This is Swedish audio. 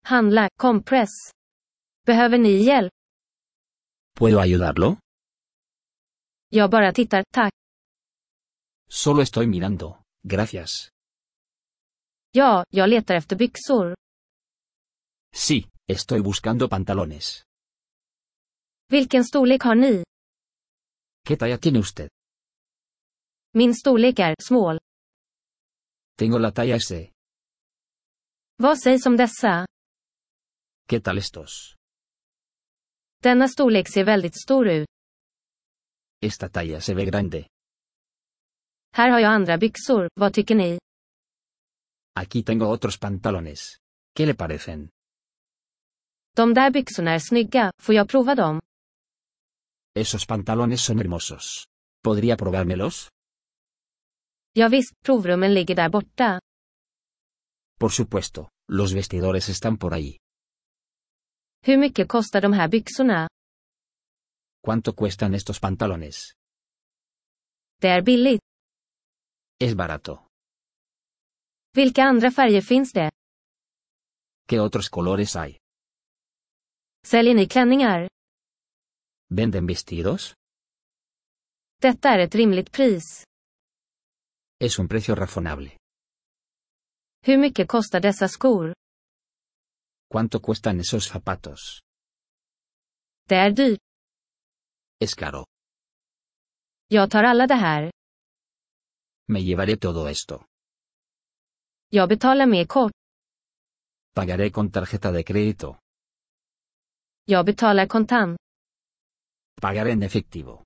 Handla, kompress. Behöver ni hjälp? ¿Puedo ayudarlo? Jag bara tittar, tack. Solo estoy mirando, gracias. Ja, jag letar efter byxor. Sí, estoy buscando pantalones. Vilken storlek har ni? ¿Qué talla tiene usted? Min storlek är small. Tengo la talla S. Vad sägs om dessa? ¿Qué tal estos? Denna storlek ser väldigt stor ut. Esta talla se ve grande. Här har jag andra byxor, vad tycker ni? Aquí tengo otros pantalones. ¿Qué le parecen? De där byxorna är snygga, får jag prova dem? Esos pantalones son hermosos. ¿Podría probármelos? Ja visst, provrummen ligger där borta. Por supuesto, los vestidores están por ahí. Hur mycket kostar de här byxorna? ¿Cuánto cuestan estos pantalones? Det är billigt. Es barato. Vilka andra färger finns det? ¿Qué otros colores hay? Säljer ni klänningar? ¿Venden vestidos? Detta är ett rimligt pris. Es un precio razonable. Hur mycket kostar dessa skor? ¿Cuánto cuestan esos zapatos? Det är dyrt. Es caro. Jag tar alla det här. Me llevaré todo esto. Jag betalar med kort. Pagaré con tarjeta de crédito. Jag betalar kontant. Pagaré en efectivo.